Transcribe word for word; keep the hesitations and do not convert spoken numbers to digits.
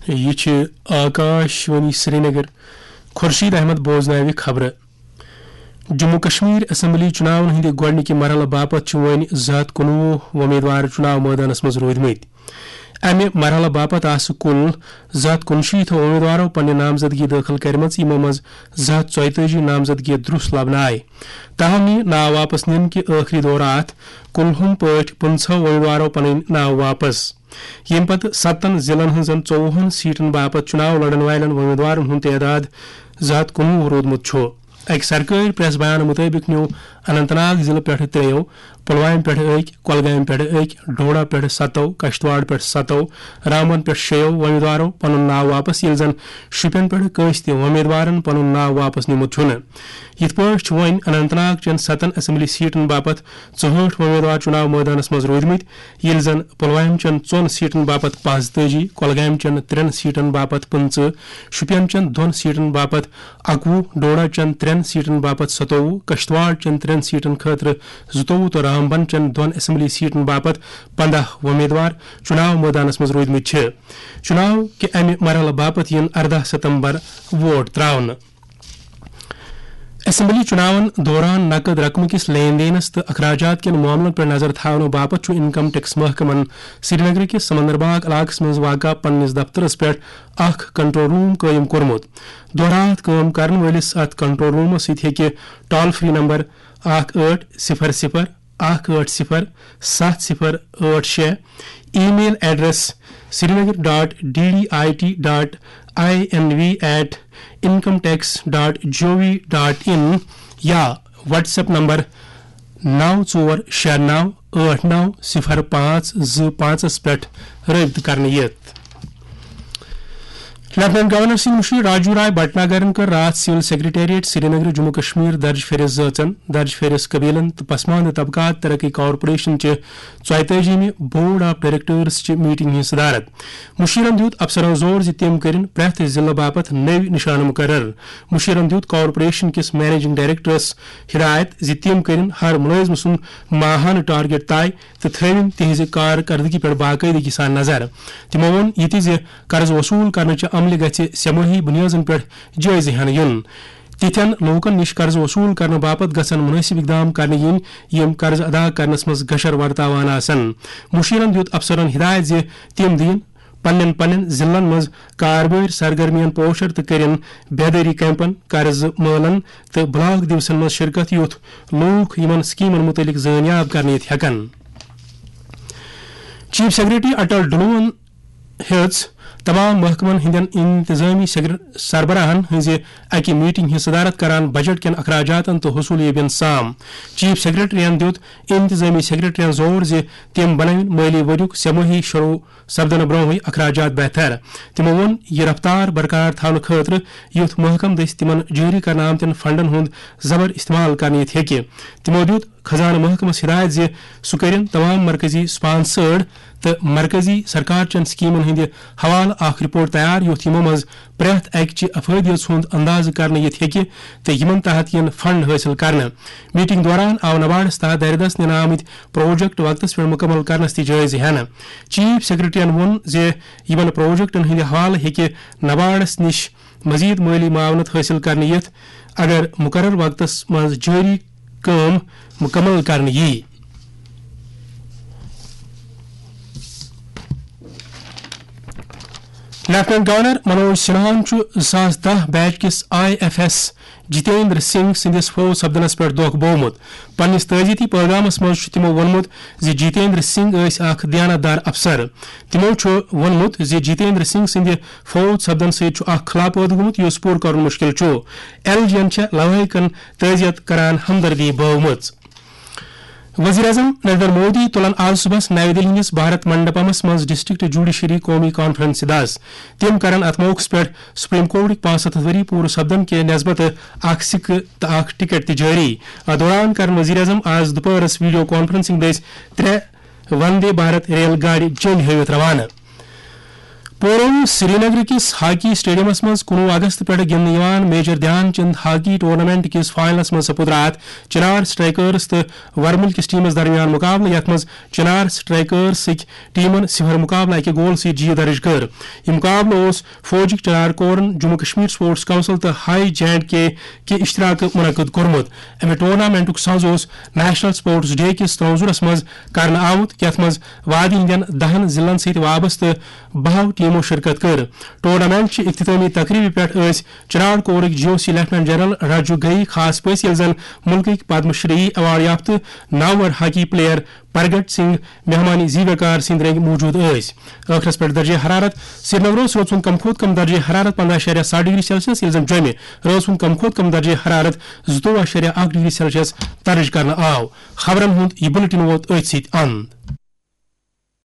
یہِ چھِ آکاش وانی سرینگر۔ خورشید احمد بوزناوِ خبرٕ۔ جموں کشمیر اسمبلی چُناون ہٕنٛدِ گۄڈٕنِکہِ مرحلہٕ باپتھ چھِ وۄنۍ زٕ ہَتھ کُنوُہ وۄمیدوار چُناو مٲدانس منٛز روٗدمٕتۍ۔ امہِ مرحلہٕ باپتھ آسہٕ کُل زٕ ہَتھ کُنشیٖتھ وۄمیدوارو پننہِ نامزدگی دٲخل کٔرمٕژ، یِمو منٛز زٕ ہَتھ ژۄیتٲجی نامزدگی درُس لبنہٕ آیہِ۔ تاہم یہِ ناو واپس نِنہٕ کہِ ٲخری دورٕ آتھ کُلہُم پٲٹھۍ پٕنٛژٕہو وۄمیدوارو پنٕنۍ ناو واپس۔ ییٚمہِ پتہٕ ستن ضلعن ہٕنٛزن ژوٚوُہن سیٹن باپتھ چُناو لڑن والٮ۪ن وۄمیدوارن ہُنٛد تعداد زٕ ہَتھ کُنوُہ روٗدمُت چھُ۔ اَکہِ سرکٲرۍ پریس بیان مُطٲبِق نیوٗ اننت ناگ ضلعہٕ پٮ۪ٹھٕ ترٛیٚیو، پلوامہِ پٮ۪ٹھٕ أکۍ، کۄلگامہِ پٮ۪ٹھٕ أکۍ، ڈوڈا پٮ۪ٹھٕ ستو، کشتواڑ پٮ۪ٹھٕ ستو، رامبن پٮ۪ٹھ شیٚیو وۄمیدوارو پنُن ناو واپس، ییٚلہِ زن شُپین پٮ۪ٹھٕ کٲنٛسہِ تہِ وۄمیدوارن پنُن ناو واپس نیوٗمُت چھُنہٕ۔ یِتھ پٲٹھۍ چھُ وۄنۍ اننت ناگ چٮ۪ن ستن اسمبلی سیٹن باپتھ ژُہٲٹھ وۄمیدوار چُناو مٲدانس منٛز روٗدمٕتۍ، ییٚلہِ زن پلوامہِ چٮ۪ن ژۄن سیٹن باپتھ پانٛژتٲجی، کۄلگامہِ چٮ۪ن ترٛٮ۪ن سیٹن باپتھ پٕنٛژٕہ، شُپین چٮ۪ن دۄن سیٹن باپتھ اَکوُہ، ڈوڈا چٮ۪ن ترٛٮ۪ن سیٹن باپتھ ستووُہ، کشتواڑ چٮ۪ن ترٛٮ۪ن سیٹن خٲطرٕ زٕتووُہ تہٕ رامبن چٮ۪ن دۄن اسمبلی سیٹن باپتھ پنٛداہ وۄمیدوار چُناو مٲدانس منٛز روٗدمٕتۍ چھِ۔ چُناو کہِ امہِ مرحلہٕ باپتھ یِن ارداہ ستمبر ووٹ تراونہٕ۔ اسمبلی چُناون دوران نقد رقمہٕ کِس لین دینس تہٕ اخراجات کٮ۪ن معاملن پٮ۪ٹھ نظر تھاونہٕ باپتھ چھُ انکم ٹیکس محکمن سرینگرٕ کِس سمندر باغ علاقس منٛز واقع پننِس دفترس پٮ۪ٹھ اکھ کنٹرول روم قٲیِم کوٚرمُت۔ دۄہ راتھ کٲم کرن وٲلِس اتھ کنٹرول رومس سۭتۍ ہیٚکہِ ٹول فری نمبر اکھ ٲٹھ صفر صفر اکھ ٲٹھ صفر ستھ صفر ٲٹھ شےٚ، email address srinagar dot d d i t dot i n v at income tax dot g o v dot in یا WhatsApp نمبر نو ژور شےٚ نو ٲٹھ نو صفر پانٛژھ زٕ پانٛژس پٮ۪ٹھ رٲبطہٕ کرنہٕ یِتھ۔ لیفٹیننٹ گورنر سٕنٛدۍ مُشیر راجو راے بھٹناگرن کٔر راتھ سول سیکرٹریٹ سرینگر جموں کشمیر درج فہرست زٲژن، درج فہرست قبیلن تہٕ پسماندٕ طبقات ترقی کارپوریشن چہِ ژۄیتٲجیمہِ بورڈ آف ڈائریکٹرز چہِ میٹنگ ہٕنٛز صدارت۔ مُشیرن دیُت افسرن زور زِ تِم کٔرِن پرٛٮ۪تھ ضلعہٕ باپتھ نٔوۍ نشانہٕ مقرر۔ مُشیرن دیُت کارپوریشن کِس منیجنگ ڈائریکٹرس ہدایت زِ تِم کٔرِن ہر مُلٲزمہٕ سُنٛد ماہانہٕ ٹارگیٹ طے تہٕ تھٲوِن تِہنٛزِ کارکردگی پٮ۪ٹھ باقٲعدگی سان نظر۔ تِمو ووٚن یہِ تہِ زِ قرض وصول کرنہٕ چہِ عملہِ گژھِ سہ مٲہی بُنیٲدن پٮ۪ٹھ جٲیزٕ ہٮ۪نہٕ یُن۔ تِتھٮ۪ن لوٗکن نِش قرض وصول کرنہٕ باپتھ گژھن مُنٲسِب اقدام کرنہٕ یِنۍ، یِم قرض ادا کرنس منٛز گشر ورتاوان آسن۔ مُشیرن دیُت افسرن ہدایت زِ تِم دِیِن پننٮ۪ن پننٮ۪ن ضلعن منٛز کاربٲرۍ سرگرمین پوسٹر تہٕ کٔرِن بیدٲری کیمپن، قرض مٲلن تہٕ بلاک دیوسن منٛز شرکت، یُتھ لوٗکھ یِمن سکیمن مُتعلق زٲنیاب کرنہٕ یِتھ ہٮ۪کن۔ چیف سیکرٹری اٹل ڈلوہن ہیٚژ تمام محکمن ہٕنٛدٮ۪ن انتظامی سیکر-، سربراہن ہٕنٛزِ اکہِ میٹنگ ہٕنٛز صدارت کران بجٹ کٮ۪ن اخراجاتن تہٕ حصولیابین سام۔ چیف سیکرٹریَن دیُت انتظامی سیکرٹریَن زور زِ تِم بنٲوِن مٲلی ؤریُک سہ مٲہی شروع سپدنہٕ برونٛہٕے اخراجات بہتر۔ تِمو ووٚن، یہِ رفتار برقرار تھاونہٕ خٲطرٕ یُتھ محکمہٕ دٔسۍ تِمن جٲری کرنہٕ آمتٮ۪ن فنڈن ہُنٛد زبر استعمال کرنہٕ یِتھ ہیٚکہِ۔ تِمو دیُت خزانہٕ محکمس ہدایت زِ سُہ کٔرِن تمام مرکزی سپانسرڈ تہٕ مرکزی سرکار چٮ۪ن سکیمن ہٕنٛدِ حوالہٕ اکھ رپورٹ تیار، یُتھ یِمو منٛز پرٛٮ۪تھ اکہِ چہِ افٲدیت ہُنٛد اندازٕ کرنہٕ یِتھ ہیٚکہِ تہٕ یِمن تحت یِن فنڈ حٲصِل کرنہٕ۔ میٹنگ دوران آو نباڈس تحت دٲیرٕ دست نِنہٕ آمٕتۍ پروجیکٹ وقتس پٮ۪ٹھ مُکمل کرنس تہِ جٲیزٕ ہٮ۪نہٕ۔ چیف سیکرٹریَن ووٚن زِ یِمن پروجیکٹن ہٕنٛدِ حوالہٕ ہیٚکہِ نباڈس نِش مزید مٲلی معاونت حٲصِل کرنہٕ یِتھ، اگر مقرر وقتس منٛز جٲری کٲم مُکمل کرنہٕ یِیہِ۔ لیفٹیننٹ گورنر منوج سنہاہن چھُ زٕ ساس دَہ بیچ کِس I F S Jatinder Singh سٕنٛدِس فوت سپدنس پٮ۪ٹھ دۄکھ بوومُت۔ پننِس تعزیتی پیغامس منٛز چھُ تِمو ووٚنمُت زِ جتیندر سنگھ ٲسۍ اکھ دیانتدار افسر۔ تِمو چھُ ووٚنمُت زِ جتیندر سنگھ سٕنٛدِ فوت سپدن سۭتۍ چھُ اکھ خلا پٲدٕ گوٚمُت، یُس پوٗرٕ کرُن مُشکِل چھُ۔ ایل جی یَن چھےٚ لوٲحقن تعزیت کران ہمدردی بٲومٕژ۔ وزیر اعظم نریندر مودی تُلن آز صبحس نَوِ دِلہِ ہٕنٛدِس بھارت منڈپمس منٛز ڈسٹرکٹ جوڈیشری قومی کانفرنسہِ دَس۔ تِم کرن اتھ موقعس پٮ۪ٹھ سپریم کورٹٕکۍ پانٛژھ ہتھ ؤری پوٗرٕ سپدن کہِ نسبتہٕ اکھ سکہٕ تہٕ اکھ ٹکٹ تہِ جٲری۔ اتھ دوران کرن وزیر اعظم آز دُپہرس ویڈیو کانفرنسنگ دٔسۍ ترٛےٚ وندے بھارت ریل گاڑِ جٔلۍ ہٲوِتھ روانہٕ۔ پوروی سرینگر کِس ہاکی اسٹیڈیمس منٛز کُنوُہ اگست پٮ۪ٹھ گِنٛدنہٕ یِوان میجر دھیان چند ہاکی ٹورنامنٹ کِس فائنلس منٛز سپُد راتھ چنار سٹرائیکرز تہٕ ورمُل کِس ٹیمس درمیان مقابلہٕ، یتھ منٛز چنار سٹرائیکرز سٕکۍ ٹیمن صفر مقابلہٕ اکہِ گول سۭتۍ جیت درج کٔر۔ یہِ مقابلہٕ اوس فوجٕکۍ چنار corn, Jammu Kashmir sports council تہٕ ہائی جے اینڈ کے کہِ اشتراکہٕ منعقد کوٚرمُت۔ امہِ ٹورنامنٹُک سنز اوس نیشنل سپورٹس ڈے کِس تناظرس منٛز کرنہٕ آمُت، یتھ منٛز وادی ہٕنٛدٮ۪ن دہن ضلعن سۭتۍ وابستہٕ بہو ٹیمو شرکت کٔر۔ ٹورنامنٹ چہِ اختتامی تقریبہِ پٮ۪ٹھ ٲسۍ چنار کورٕکۍ جی او سی لیفٹیننٹ جنرل راجو گئی خاص پٲٹھۍ، ییٚلہِ زن ملکٕکۍ پدم شری ایوارڈ یافتہٕ نامور ہاکی پلیئر پرگٹ سنگھ مہمانی زیویکار سٕنٛدۍ رٔنگۍ موجود ٲسۍ۔ ٲخرس پٮ۪ٹھ درجہ حرارت: سرینگرس رٲژ ہُنٛد کم کھۄتہٕ کم درجہ حرارت پنداہ اَشاریہ ستھ ڈگری سیلسیس، ییٚلہِ زن جوٚمہِ رٲژ ہُنٛد کم کھۄتہٕ کم درجہ حرارت زٕتووُہ اَشاریہ اکھ ڈگری سیلسیس درج کرنہٕ آو۔ خبرن ہُنٛد یہِ بلیٹن ووت أتھۍ سۭتۍ اند۔